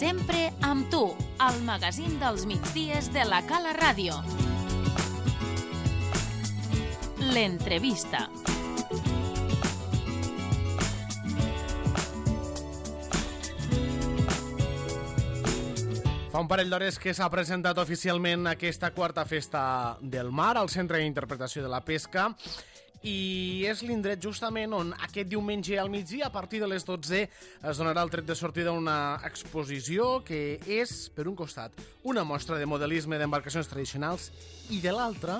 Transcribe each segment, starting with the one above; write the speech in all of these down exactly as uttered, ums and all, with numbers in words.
Sempre amb tu, al magazín dels migdies de la Cala Ràdio. L'entrevista. Fa un parell d'hores que s'ha presentat oficialment aquesta quarta festa del mar al Centre d'Interpretació de la Pesca i és l'indret justament on aquest diumenge al migdia a partir de les dotze es donarà el tret de sortida una exposició que és, per un costat, una mostra de modelisme d'embarcacions tradicionals i de l'altra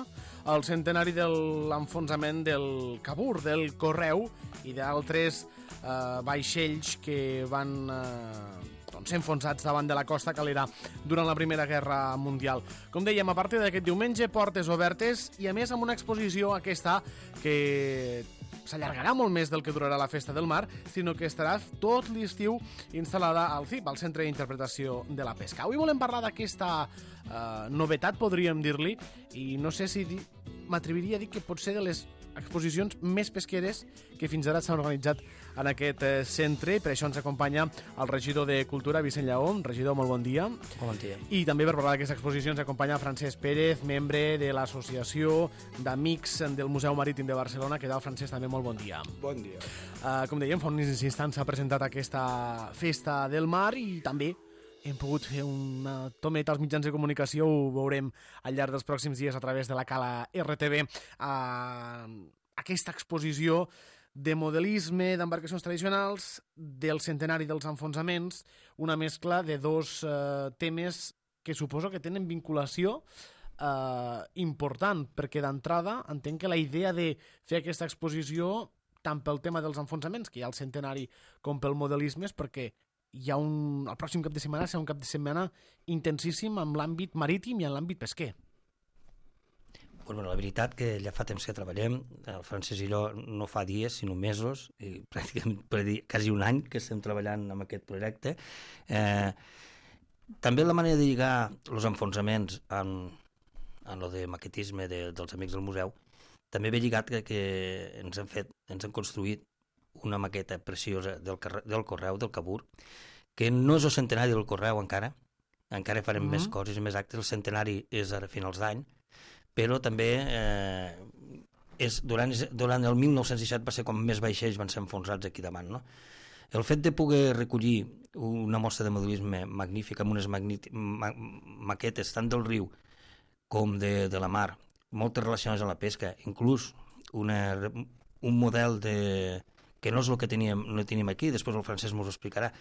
el centenari de l'enfonsament del Cabur, del Correu i d'altres eh, vaixells que van eh, doncs, ser enfonsats davant de la costa calera durant la Primera Guerra Mundial. Com dèiem, a partir d'aquest diumenge, portes obertes i a més amb una exposició aquesta que s'allargarà molt més del que durarà la Festa del Mar, sinó que estarà tot l'estiu instal·lada al C I P, al Centre d'Interpretació de la Pesca. Avui volem parlar d'aquesta eh, novetat, podríem dir-li, i no sé si m'atreviria a dir que pot ser de les exposicions més pesqueres que fins ara s'han organitzat en aquest eh, centre. Per això ens acompanya el regidor de Cultura, Vicent Lleó. Regidor, molt bon dia. Bon dia. I també per parlar d'aquesta exposició ens acompanya Francesc Pérez, membre de l'Associació d'Amics del Museu Marítim de Barcelona. Què tal, Francesc? També molt bon dia. Bon dia. Uh, com dèiem, fa uns instants s'ha presentat aquesta Festa del Mar i també hem pogut fer una tometa als mitjans de comunicació, ho veurem al llarg dels pròxims dies a través de la Cala R T V, a aquesta exposició de modelisme d'embarcacions tradicionals, del centenari dels enfonsaments, una mescla de dos eh, temes que suposo que tenen vinculació eh, important, perquè d'entrada entenc que la idea de fer aquesta exposició tant pel tema dels enfonsaments, que hi ha el centenari, com pel modelisme, és perquè hi ha un, el pròxim cap de setmana serà un cap de setmana intensíssim en l'àmbit marítim i en l'àmbit pesquer. Bueno, la veritat que ja fa temps que treballem, el Francesc i jo no fa dies, sinó mesos, i pràcticament per dir, quasi un any que estem treballant amb aquest projecte. Eh, també la manera de lligar els enfonsaments en, en lo de maquetisme de, dels amics del museu, també ve lligat que, que ens han fet, ens han construït una maqueta preciosa del, del Correu, del Cabur, que no és el centenari del Correu encara, encara farem mm-hmm. més coses i més actes, el centenari és ara a finals d'any, però també eh, és, durant, durant el mil nou-cents disset va ser quan més vaixells van ser enfonsats aquí davant, no? El fet de poder recollir una mostra de modelisme magnífica amb unes magnífic, ma, maquetes tant del riu com de, de la mar, moltes relacionades amb la pesca, inclús una, un model de que no és el que teníem, no teníem aquí, després el Francesc ens ho explicarà,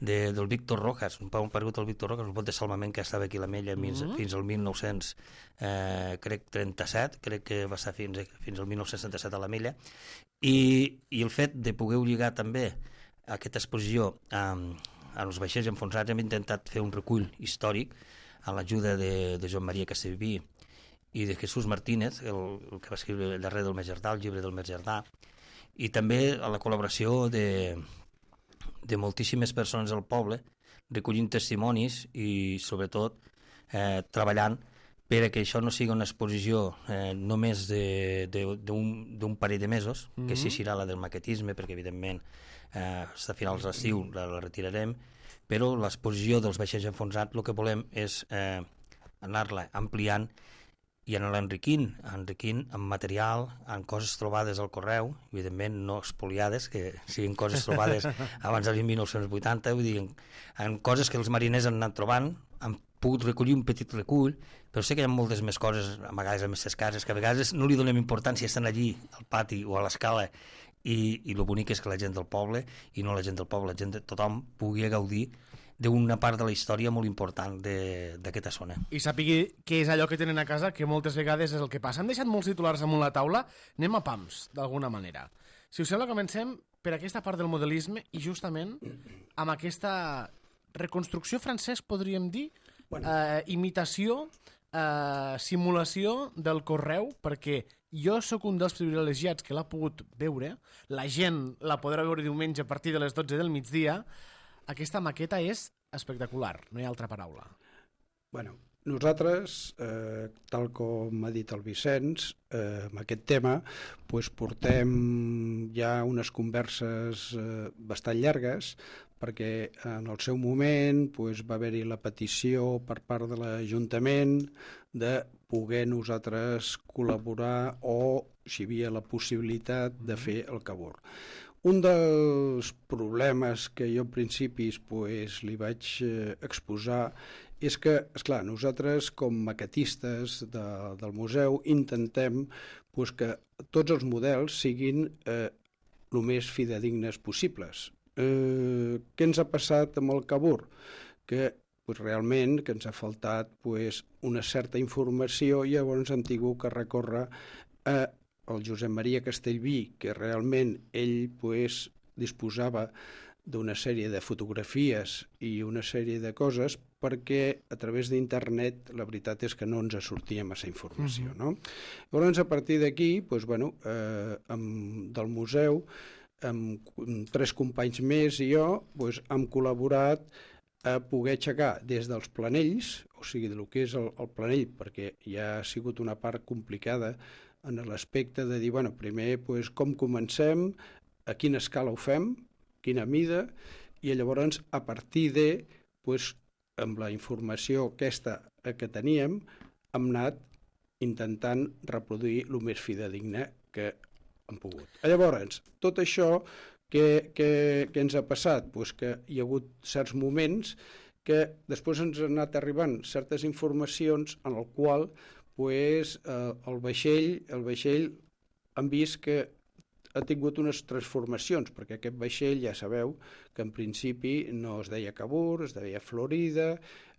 de, del Víctor Rojas, un pau perdut el Víctor Rojas, un bot de salvament que estava aquí a l'Ametlla mm-hmm. fins al mil nou-cents trenta-set, crec que va estar fins, fins al mil nou-cents trenta-set a l'Ametlla, i, i el fet de poder lligar també aquesta exposició amb, amb els vaixells enfonsats, hem intentat fer un recull històric amb l'ajuda de, de Joan Maria Castellví i de Jesús Martínez, el, el que va escriure el darrer del Mes Jardà, el llibre del Mes Jardà, i també a la col·laboració de, de moltíssimes persones del poble, recollint testimonis i, sobretot, eh, treballant per a que això no sigui una exposició eh, només d'un parell de mesos, mm-hmm. que sí serà la del maquetisme, perquè, evidentment, eh, a finals d'estiu la, la retirarem, però l'exposició dels vaixells enfonsats el que volem és eh, anar-la ampliant i anar enriquint, enriquint amb material, amb coses trobades al Correu, evidentment no expoliades, que siguin coses trobades abans del mil nou-cents vuitanta, vull dir, en coses que els mariners han anat trobant, han pogut recollir un petit recull, però sé que hi ha moltes més coses, a vegades a aquestes cases, que a vegades no li donem importància, estan allí, al pati o a l'escala, i, i el bonic és que la gent del poble, i no la gent del poble, la gent de tothom pugui gaudir d'una part de la història molt important d'aquesta zona. I sàpigui què és allò que tenen a casa, que moltes vegades és el que passa. Hem deixat molts titulars damunt la taula, anem a pams, d'alguna manera. Si us sembla, comencem per aquesta part del modelisme i justament amb aquesta reconstrucció, Francesc, podríem dir, bueno. eh, imitació, eh, simulació del Correu, perquè jo sóc un dels privilegiats que l'ha pogut veure, la gent la podrà veure diumenge a partir de les dotze del migdia. Aquesta maqueta és espectacular, no hi ha altra paraula. Bueno, nosaltres, eh, tal com ha dit el Vicenç, eh, amb aquest tema, pues, portem ja unes converses eh, bastant llargues perquè en el seu moment doncs, va haver-hi la petició per part de l'Ajuntament de poder nosaltres col·laborar o si hi havia la possibilitat de fer el Cavour. Un dels problemes que jo en principis pues, li vaig eh, exposar és que, esclar, nosaltres com maquetistes de, del museu intentem pues, que tots els models siguin eh, el més fidedignes possibles. Eh, què ens ha passat amb el Cavour? Que pues, realment que ens ha faltat pues, una certa informació i llavors hem tingut que recórrer a el Josep Maria Castellví, que realment ell pues, disposava d'una sèrie de fotografies i una sèrie de coses perquè a través d'internet la veritat és que no ens sortia massa informació. No? Llavors, a partir d'aquí, pues, bueno, eh, amb, del museu, amb tres companys més i jo, pues, hem col·laborat a poder aixecar des dels planells, o sigui, del que és el, el planell, perquè ja ha sigut una part complicada en l'aspecte de dir, bueno, primer, pues, com comencem, a quina escala ho fem, quina mida, i llavors, a partir de, pues, amb la informació aquesta que teníem, hem anat intentant reproduir el més fidedigne que hem pogut. Llavors, tot això, què, què, què ens ha passat? Pues que hi ha hagut certs moments que després ens han anat arribant certes informacions en el qual pues, eh, el vaixell, el vaixell hem vist que ha tingut unes transformacions, perquè aquest vaixell ja sabeu que en principi no es deia Cavour, es deia Florida,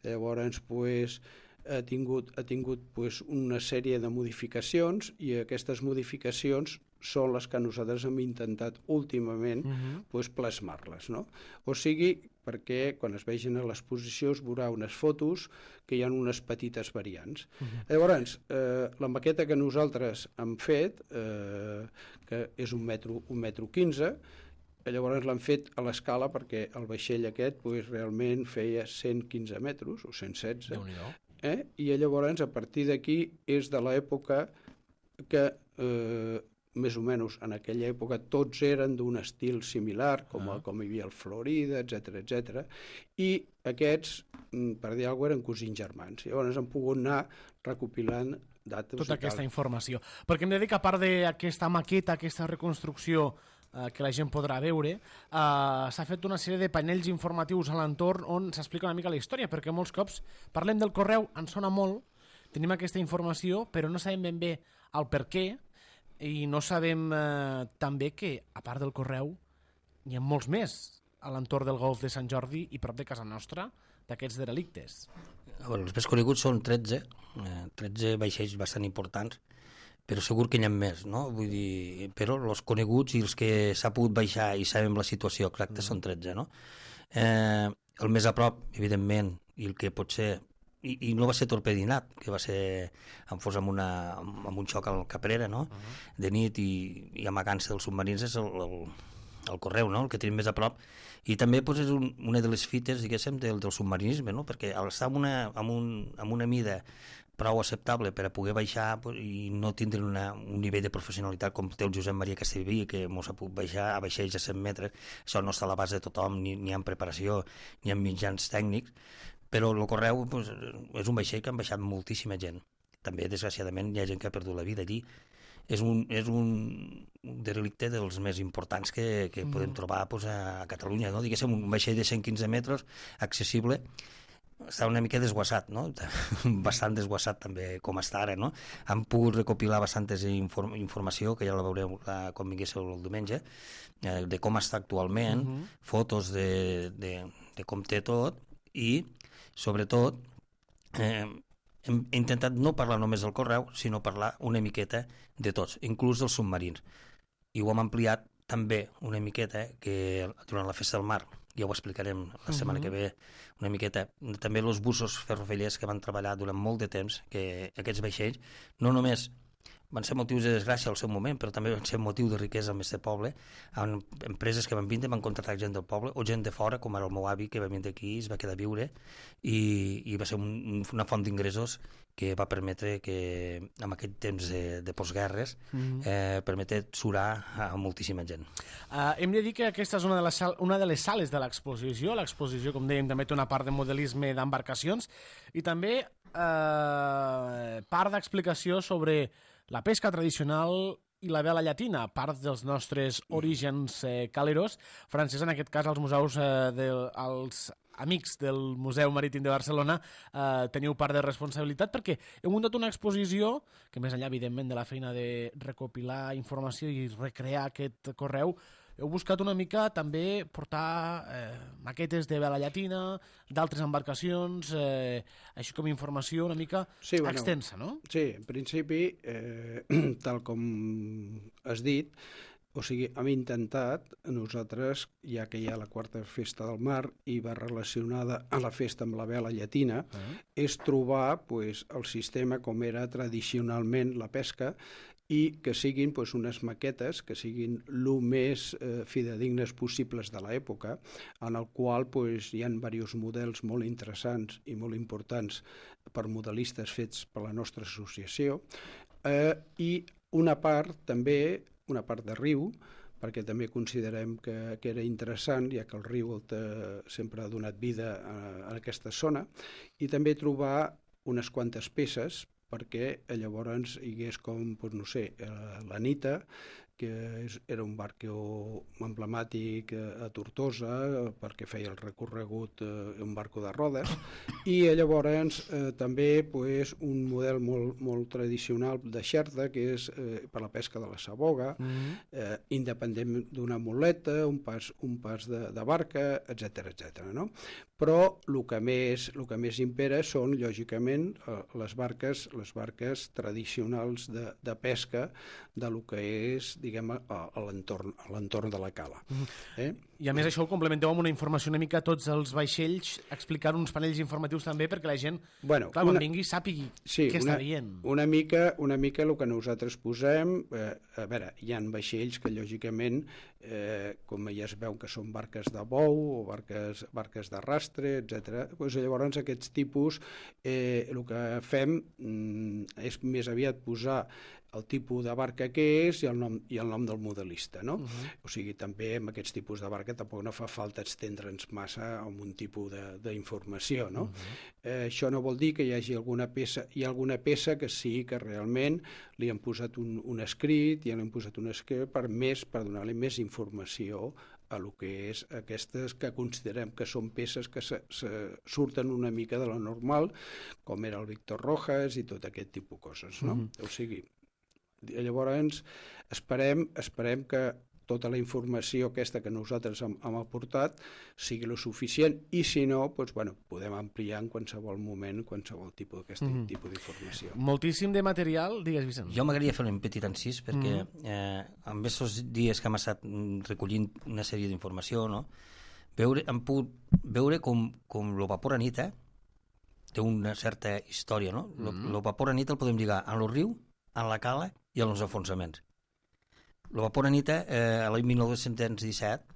llavors pues, ha tingut, ha tingut pues, una sèrie de modificacions i aquestes modificacions són les que nosaltres hem intentat últimament uh-huh. pues, plasmar-les. No? O sigui, perquè quan es vegin a l'exposició es veurà unes fotos que hi ha unes petites variants. Uh-huh. Llavors, eh, la maqueta que nosaltres hem fet, eh, que és un metro, un metro quinze, llavors l'han fet a l'escala perquè el vaixell aquest pues, realment feia cent quinze metres o cent setze. Eh? I llavors, a partir d'aquí, és de l'època que eh, més o menys en aquella època tots eren d'un estil similar, com, ah. com hi havia el Florida, etcètera, etcètera, i aquests, per dir alguna cosa, eren cosins germans. Llavors han pogut anar recopilant dates. Tota aquesta informació. Perquè hem de dir que a part d'aquesta maqueta, aquesta reconstrucció eh, que la gent podrà veure, eh, s'ha fet una sèrie de panells informatius a l'entorn on s'explica una mica la història, perquè molts cops parlem del correu, ens sona molt, tenim aquesta informació, però no sabem ben bé el per què, i no sabem eh, també que, a part del correu, hi ha molts més a l'entorn del golf de Sant Jordi i prop de casa nostra d'aquests derelictes. Bueno, els més coneguts són tretze, eh, tretze vaixells bastant importants, però segur que n'hi ha més, no? Vull dir, però els coneguts i els que s'ha pogut baixar i sabem la situació exacta mm. són tretze, no? Eh, el més a prop, evidentment, i el que pot ser... I, i no va ser torpedinat, que va ser en fos amb, una, amb un xoc al Caprera, no? Uh-huh. De nit i, i amagant-se dels submarins és el, el, el correu, no? El que tenim més a prop. I també pues, és un, una de les fites, diguéssim, del, del submarinisme, no? Perquè al estar amb una, amb, un, amb una mida prou acceptable per a poder baixar pues, i no tindre una, un nivell de professionalitat com té el Josep Maria Castellví, que mos ha pogut baixar a vaixells a cent metres, això no està a l'abast de tothom, ni, ni en preparació, ni en mitjans tècnics, però el correu pues, és un vaixell que han baixat moltíssima gent. També, desgraciadament, hi ha gent que ha perdut la vida allí. És un, és un derelicte dels més importants que, que mm. podem trobar pues, a Catalunya. No? Diguéssim, un vaixell de cent quinze metres, accessible, està una mica desguassat, no? Bastant desguassat també, com està ara. No? Han pogut recopilar bastantes inform informació, que ja la veureu la, quan vinguéssiu el diumenge, eh, de com està actualment, mm -hmm. fotos de, de, de com té tot, i sobretot eh, hem intentat no parlar només del correu, sinó parlar una miqueta de tots, inclús dels submarins. I ho hem ampliat també una miqueta, que durant la Festa del Mar, ja ho explicarem la setmana uh-huh. que ve, una miqueta, també els bussos ferroviariers que van treballar durant molt de temps, que aquests vaixells no només van ser motius de desgràcia al seu moment, però també van ser motiu de riquesa al nostre poble, amb empreses que van vindre, van contractar gent del poble, o gent de fora, com era el meu avi, que va vindre aquí, es va quedar a viure, i, i va ser un, una font d'ingressos que va permetre que, en aquest temps de, de postguerres, mm-hmm. eh, permetre surar a moltíssima gent. Uh, hem de dir que aquesta és una de les, sal, una de les sales de l'exposició. L'exposició, com dèiem, també té una part de modelisme d'embarcacions i també uh, part d'explicació sobre la pesca tradicional i la vela llatina, part dels nostres orígens eh, caleros. Francesc, en aquest cas, els museus, eh, de, els amics del Museu Marítim de Barcelona, eh, teniu part de responsabilitat perquè heu muntat una exposició que, més enllà, evidentment, de la feina de recopilar informació i recrear aquest correu, heu buscat una mica també portar eh, maquetes de vela llatina, d'altres embarcacions, eh, així com informació una mica sí, bueno, extensa, no? Sí, en principi, eh, tal com has dit, o sigui, hem intentat, nosaltres, ja que hi ha la quarta festa del mar i va relacionada a la festa amb la vela llatina, uh-huh. és trobar pues, el sistema com era tradicionalment la pesca i que siguin pues, unes maquetes que siguin el més eh, fidedignes possibles de l'època, en el qual pues, hi ha diversos models molt interessants i molt importants per modelistes fets per la nostra associació, eh, i una part també, una part de riu, perquè també considerem que, que era interessant, ja que el riu el te, sempre ha donat vida a, a aquesta zona, i també trobar unes quantes peces perquè llavors hi hagués com, doncs no sé, l'Anita, que és, era un barco emblemàtic a Tortosa, perquè feia el recorregut eh, un barco de rodes, i llavors eh, també pues, un model molt, molt tradicional de xerta, que és eh, per la pesca de la saboga, mm-hmm. eh, independent d'una muleta, un pas, un pas de, de barca, etcètera, etcètera, no? Però el que més, el que més impera són, lògicament, les barques, les barques tradicionals de, de pesca de lo que és, diguem, a, a l'entorn de la cala. Eh? I a més això ho complementeu amb una informació una mica a tots els vaixells, explicant uns panells informatius també perquè la gent, bueno, clar, una, quan vingui sàpigui sí, què una, està veient. Una mica, una mica el que nosaltres posem, eh, a veure, hi ha vaixells que lògicament, eh, com ja es veu que són barques de bou o barques, barques d'arrastre, etcètera. Pues, llavors aquests tipus, eh, el que fem mm, és més aviat posar el tipus de barca que és i el nom, i el nom del modelista, no? Uh-huh. O sigui, també amb aquests tipus de barca tampoc no fa falta estendre'ns massa amb un tipus d'informació, no? Uh-huh. Eh, això no vol dir que hi hagi alguna peça, hi ha alguna peça que sí que realment li han posat un, un escrit, i li han posat un escrit per més, per donar-li més informació a el que és aquestes que considerem que són peces que se, se surten una mica de lo normal, com era el Víctor Rojas i tot aquest tipus de coses, no? Uh-huh. O sigui, llavors esperem, esperem que tota la informació aquesta que nosaltres hem, hem aportat sigui lo suficient, i si no, doncs, bueno, podem ampliar en qualsevol moment qualsevol tipus d'aquest mm. tipus d'informació. Moltíssim de material, digues, Vicent. Jo m'agradaria fer un petit encís, perquè mm. eh, en aquests dies que hem estat recollint una sèrie d'informació, no? Veure, hem pogut veure com, com el vapor Anita té una certa història, no? Mm. El vapor Anita el podem lligar a lo riu, a la cala i als enfonsaments. El vapor Anita, eh, l'any mil nou-cents disset,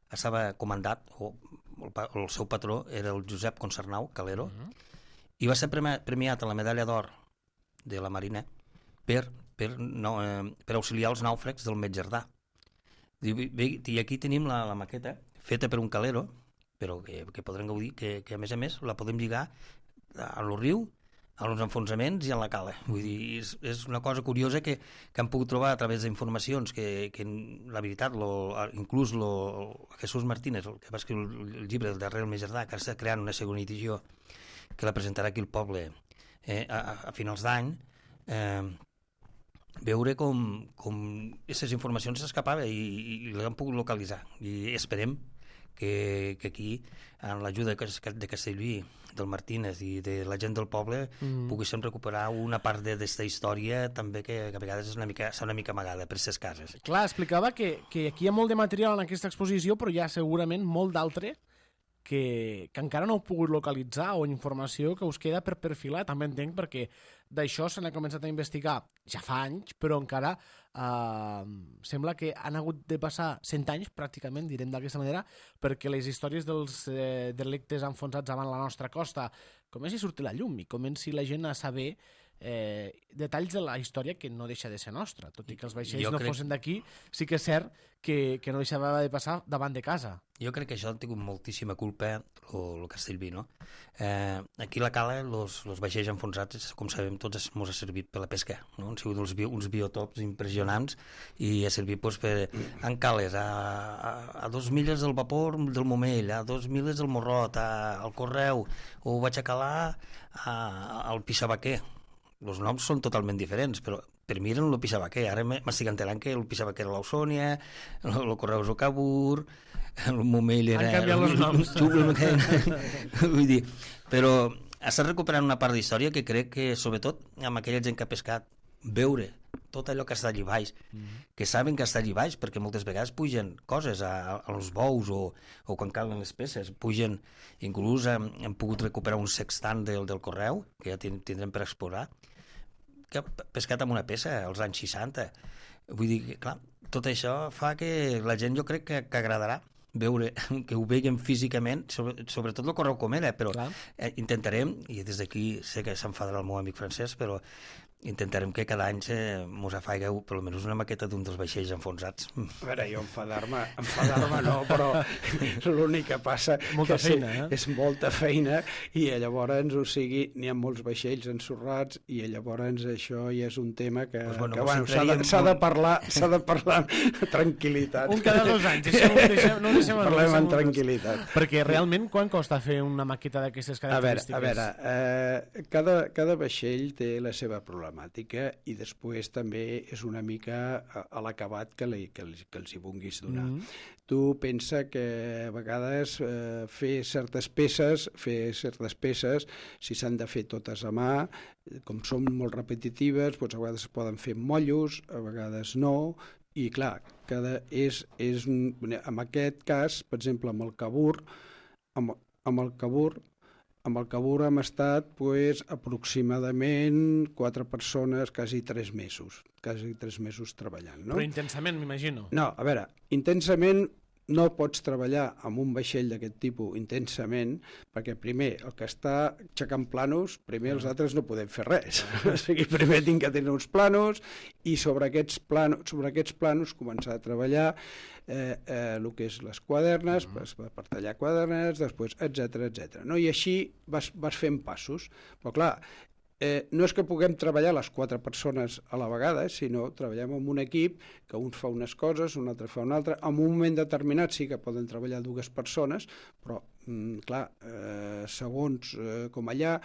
estava comandat, o el, el seu patró era el Josep Concernau, calero, uh-huh. i va ser premiat a la medalla d'or de la Marina per, per, no, eh, per auxiliar els nàufrags del Metjardà. I, i aquí tenim la, la maqueta feta per un calero, però que, que podrem gaudir, que, que a més a més la podem lligar a lo riu, als enfonsaments i a la cala. Vull dir, és, és una cosa curiosa que, que hem pogut trobar a través d'informacions que, que la veritat, lo, inclús lo, Jesús Martínez, el que va escriure el llibre del darrer Metjardà, que està creant una segona edició que la presentarà aquí al poble eh, a, a finals d'any, eh, veure com, com aquestes informacions s'escapaven i, i, i les hem pogut localitzar. I esperem que, que aquí, amb l'ajuda de Castellví, del Martínez i de la gent del poble, mm. poguéssim recuperar una part d'aquesta història també que, que a vegades és una mica, és una mica amagada per ses cases. Clar, explicava que, que aquí hi ha molt de material en aquesta exposició, però hi ha segurament molt d'altre que, que encara no heu pogut localitzar o informació que us queda per perfilar, també entenc, perquè d'això se n'ha començat a investigar ja fa anys, però encara eh, sembla que han hagut de passar cent anys, pràcticament, direm d'aquesta manera, perquè les històries dels eh, delictes enfonsats davant la nostra costa comenci a sortir a la llum i comenci la gent a saber eh, detalls de la història que no deixa de ser nostra, tot i que els vaixells jo no crec... fossin d'aquí, sí que és cert que, que no deixava de passar davant de casa. Jo crec que això ha tingut moltíssima culpa el Castellví, no? Eh, aquí a la cala, els vaixells enfonsats, com sabem tots, ens ha servit per la pesca, no? Han sigut uns, bio, uns biotops impressionants i ha servit doncs, per en cales, a, a, a dos milles del vapor del Momell, a dos milles del Morrot, a, al Correu, o vaig a calar a, al Pixabaquer. Els noms són totalment diferents, però per mi eren el Pixabaquer. Ara m'estic enterant que el Pixabaquer era l'Ausònia, el Correu és el Cabur, el Momell era... Han canviat els noms. Vull dir, però està recuperant una part d'història que crec que, sobretot, amb aquella gent que ha pescat, veure tot allò que està allà baix, mm-hmm. que saben que està allà baix, perquè moltes vegades pugen coses a, als bous o, o quan calen les peces, pugen, inclús hem, hem pogut recuperar un sextant del, del Correu, que ja tindrem per explorar, que ha pescat amb una peça als anys seixanta. Vull dir que, clar, tot això fa que la gent, jo crec que, que agradarà veure, que ho veiem físicament, sobre, sobretot el Correu com era, però eh, intentarem, i des d'aquí sé que s'enfadarà el meu amic francès, però intentarem que cada any mos afaigueu per almenys una maqueta d'un dels vaixells enfonsats. A veure, jo enfadar-me, enfadar-me no, però l'únic que passa molta que feina, eh? és molta feina i llavors, o sigui, n'hi ha molts vaixells ensorrats i llavors això ja és un tema que, pues bueno, que bueno, s'ha de, s'ha de parlar s'ha de parlar amb tranquil·litat. Un cada dos anys, això no ho deixem, no ho deixem Parlem amb tranquil·litat. Perquè realment quan costa fer una maqueta d'aquestes característiques? A veure, a veure eh, cada, cada vaixell té la seva problemàtica i després també és una mica a l'acabat que, li, que, els, que els hi vulguis donar. Mm-hmm. Tu pensa que a vegades eh, fer certes peces, fer certes peces, si s'han de fer totes a mà, com són molt repetitives, doncs a vegades es poden fer mollos, a vegades no, i clar, cada és, és un, en aquest cas, per exemple, amb el Cabur, amb, amb el Cabur, Amb el Cabur hem estat pues, aproximadament quatre persones, quasi tres mesos, quasi tres mesos treballant. No? Però intensament, m'imagino. No, a veure, intensament no pots treballar amb un vaixell d'aquest tipus intensament, perquè primer, el que està aixecant planos, primer els altres no podem fer res. O sigui, primer tinc que tenir uns planos i sobre aquests planos, sobre aquests planos començar a treballar eh, eh, el que és les quadernes, mm-hmm. per tallar quadernes, després, etcètera, etcètera. No? I així vas, vas fent passos. Però clar, Eh, no és que puguem treballar les quatre persones a la vegada, sinó treballem amb un equip que un fa unes coses, un altre fa una altra. En un moment determinat sí que poden treballar dues persones, però, mm, clar, eh, segons eh, com allà,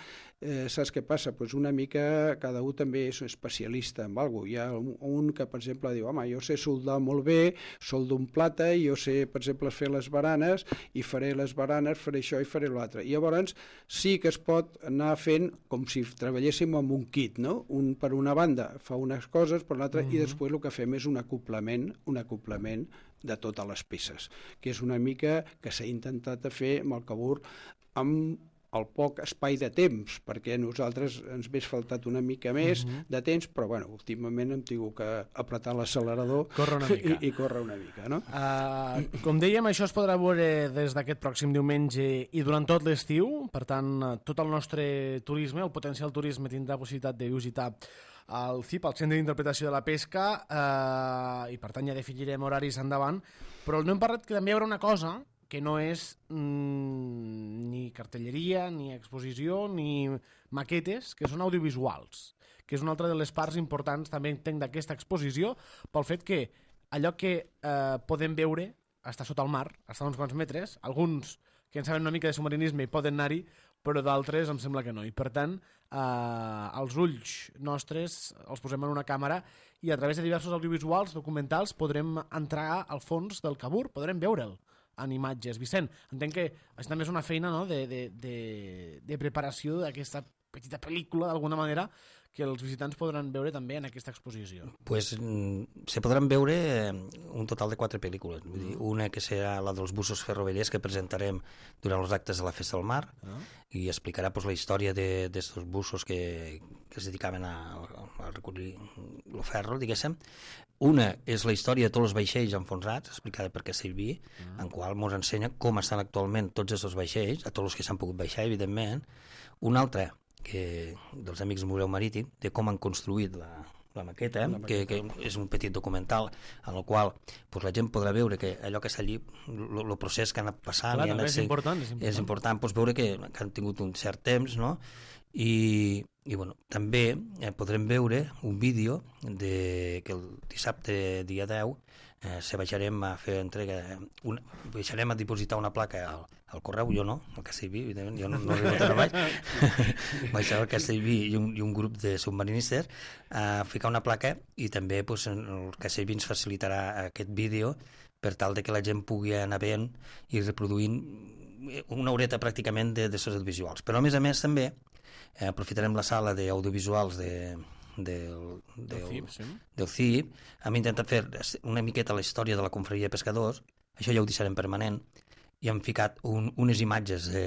eh, saps què passa? Pues una mica cada un també és especialista en alguna cosa. Hi ha un, un que, per exemple, diu, home, jo sé soldar molt bé, soldo un plata, i jo sé, per exemple, fer les baranes, i faré les baranes, faré això i faré l'altre. I llavors sí que es pot anar fent com si treballéssim amb un kit, no? Un per una banda fa unes coses, per l'altra, mm-hmm. i després el que fem és un acoplament, un acoplament de totes les peces, que és una mica que s'ha intentat fer amb el Cabur amb el poc espai de temps, perquè a nosaltres ens hagués faltat una mica més uh-huh. de temps, però bueno, últimament hem tingut que apretar l'accelerador i, i córrer una mica. No? Uh, com dèiem, això es podrà veure des d'aquest pròxim diumenge i durant tot l'estiu, per tant, tot el nostre turisme, el potencial turisme tindrà possibilitat de visitar el C I P, el Centre d'Interpretació de la Pesca, eh, i per tant ja definirem horaris endavant, però no hem parlat que també hi haurà una cosa que no és mm, ni cartelleria, ni exposició, ni maquetes, que són audiovisuals, que és una altra de les parts importants també entenc d'aquesta exposició, pel fet que allò que eh, podem veure està sota el mar, està a uns quants metres, alguns que en saben una mica de submarinisme hi poden anar-hi, però d'altres em sembla que no. I per tant, eh, els ulls nostres els posem en una càmera i a través de diversos audiovisuals, documentals, podrem entrar al fons del Cabur, podrem veure'l en imatges. Vicent, entenc que això també és una feina, no?, de, de, de, de preparació d'aquesta petita pel·lícula, d'alguna manera, que els visitants podran veure també en aquesta exposició? Pues, se podran veure un total de quatre pel·lícules. Vull dir, una que serà la dels bussos ferrovellers que presentarem durant els actes de la Festa del Mar, ah. i explicarà pues, la història d'aquests bussos que, que es dedicaven a, a recollir el ferro, diguéssim. Una és la història de tots els vaixells enfonsats, explicada per Castellví, ah. en qual ens ensenya com estan actualment tots aquests vaixells, a tots els que s'han pogut baixar, evidentment. Una altra, que, dels amics del Museu Marítim, de com han construït la, la maqueta, la maqueta. Que, que és un petit documental en el qual pues, la gent podrà veure que allò que està allí, el procés que han anat passant... Clar, i han és, ser, important, és important. És important pues, veure que, que han tingut un cert temps, no? I, i bueno, també eh, podrem veure un vídeo de, que el dissabte dia deu eh, se baixarem a fer entrega, una, baixarem a dipositar una placa al, al correu, jo no, al Castellví, evidentment, jo no, no arribo tan baix, baixar al Castellví i un, i un grup de submarinistes a ficar una placa i també pues, el Castellví ens facilitarà aquest vídeo per tal de que la gent pugui anar veient i reproduint una horeta pràcticament de, de les audiovisuals. Però a més a més també Eh, aprofitarem la sala d'audiovisuals de, del, del, del C I P, sí. del C I P. Hem intentat fer una miqueta la història de la confraria de pescadors, això ja ho deixarem permanent, i hem ficat un, unes imatges de,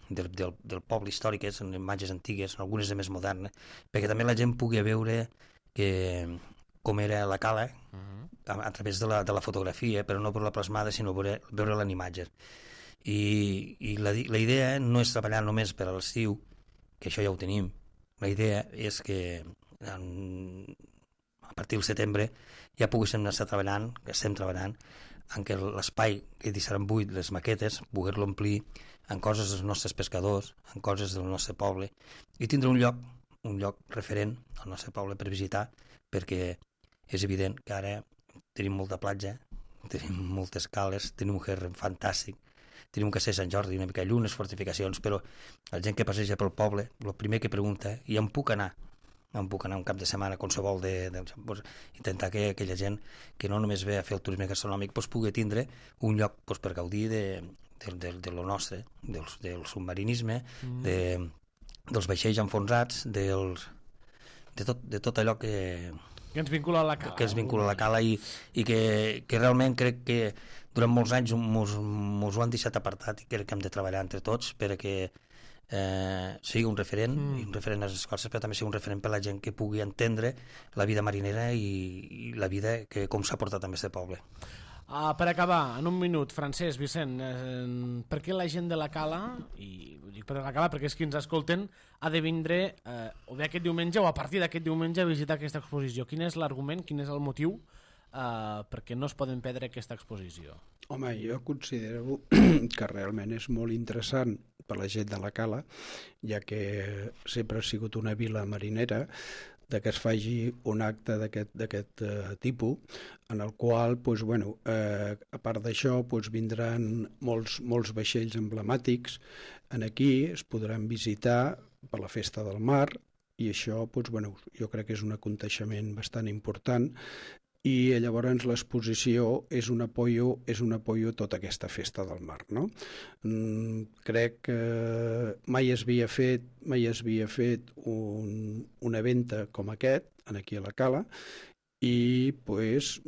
del, del, del poble històric, són imatges antigues, algunes de més modernes, perquè també la gent pugui veure que, com era la cala uh -huh. a, a través de la, de la fotografia, però no per la plasmada, sinó veure, veure-la en imatges. I, i la, la idea no és treballar només per a l'estiu, que això ja ho tenim. La idea és que en, a partir del setembre ja poguéssim estar treballant, que estem treballant, en què l'espai que deixaran buit, les maquetes, poder-lo omplir en coses dels nostres pescadors, en coses del nostre poble, i tindre un lloc, un lloc referent al nostre poble per visitar, perquè és evident que ara tenim molta platja, tenim moltes cales, tenim un Gerren fantàstic, tenim un castell Sant Jordi, una mica lluny, unes fortificacions, però la gent que passeja pel poble, el primer que pregunta, i on puc anar? On puc anar un cap de setmana, qualsevol de, de, pues, intentar que aquella gent que no només ve a fer el turisme gastronòmic pues, pugui tindre un lloc pues, per gaudir de, de, de, de lo nostre, del, del submarinisme, mm. de, dels vaixells enfonsats, dels, de, tot, de tot allò que... Que ens vincula a la cala. Que ens vincula a la cala i, i que, que realment crec que durant molts anys mos, mos ho han deixat apartat i crec que hem de treballar entre tots perquè eh, sigui un referent, mm. un referent a les escoles, però també sigui un referent per a la gent que pugui entendre la vida marinera i, i la vida que com s'ha portat amb aquest poble. Uh, per acabar, en un minut, Francesc, Vicent, eh, per què la gent de la cala, i ho dic per la cala perquè és qui ens escolten, ha de vindre eh, o bé aquest diumenge o a partir d'aquest diumenge a visitar aquesta exposició? Quin és l'argument, quin és el motiu Uh, perquè no es poden perdre aquesta exposició? Home, jo considero que realment és molt interessant per la gent de la cala, ja que sempre ha sigut una vila marinera, de que es faci un acte d'aquest uh, tipus, en el qual, pues, bueno, eh, a part d'això, pues, vindran molts, molts vaixells emblemàtics en aquí, es podran visitar per la Festa del Mar, i això, pues, bueno, jo crec que és un aconteixement bastant important, i llavors l'exposició és un apoyo, és un apoyo a tota aquesta Festa del Mar, no? Mm, crec que mai es havia fet, mai es havia fet un, un event com aquest, aquí a la cala, i pues,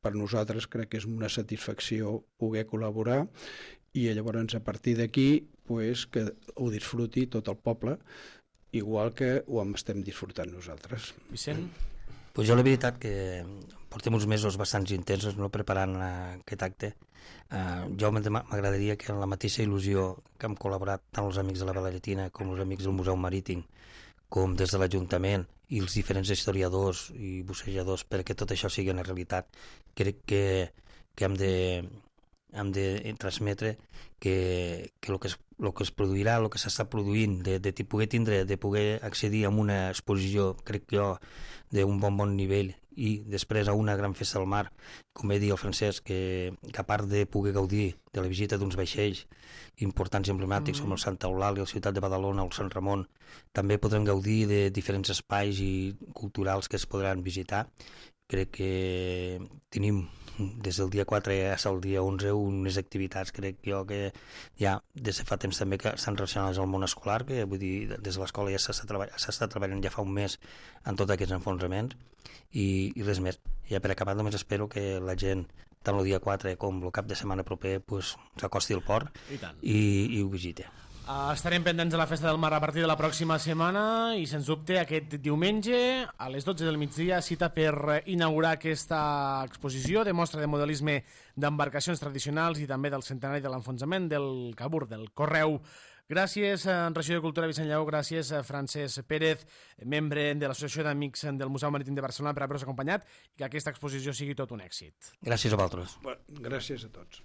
per nosaltres crec que és una satisfacció poder col·laborar i llavors a partir d'aquí pues, que ho disfruti tot el poble, igual que ho estem disfrutant nosaltres. Vicent? Pues jo la veritat que portem uns mesos bastants intensos no preparant aquest acte. Uh, jo m'agradaria que en la mateixa il·lusió que hem col·laborat tant els amics de la Balaretina com els amics del Museu Marítim, com des de l'Ajuntament i els diferents historiadors i bussejadors perquè tot això sigui una realitat, crec que, que hem de hem de transmetre que, que el que es, el que es produirà, el que s'està produint, de, de poder tindre, de poder accedir a una exposició, crec que jo, d'un bon bon nivell, i després a una gran festa del mar, com va dir el Francesc, que, que a part de poder gaudir de la visita d'uns vaixells importants i emblemàtics mm. com el Santa Eulàlia, la ciutat de Badalona o el Sant Ramon, també podrem gaudir de diferents espais i culturals que es podran visitar. Crec que tenim des del dia quatre fins al dia onze, unes activitats, crec jo, que ja des de fa temps també que estan relacionades al món escolar, que vull dir, des de l'escola ja s'està treball, treballant ja fa un mes en tots aquests enfonsraments, i, i res més. Ja per acabar només espero que la gent, tant el dia quatre com el cap de setmana proper, pues, s'acosti al port I, tant. i, i ho visiti. Uh, estarem pendents de la Festa del Mar a partir de la pròxima setmana i, sens dubte, aquest diumenge a les dotze del migdia, cita per inaugurar aquesta exposició de mostra de modelisme d'embarcacions tradicionals i també del centenari de l'enfonsament del Cabur, del Correu. Gràcies, regidor de Cultura Vicent Lleó, gràcies, Francesc Pérez, membre de l'Associació d'Amics del Museu Marítim de Barcelona, per haver-nos acompanyat i que aquesta exposició sigui tot un èxit. Gràcies a vosaltres. Gràcies a tots.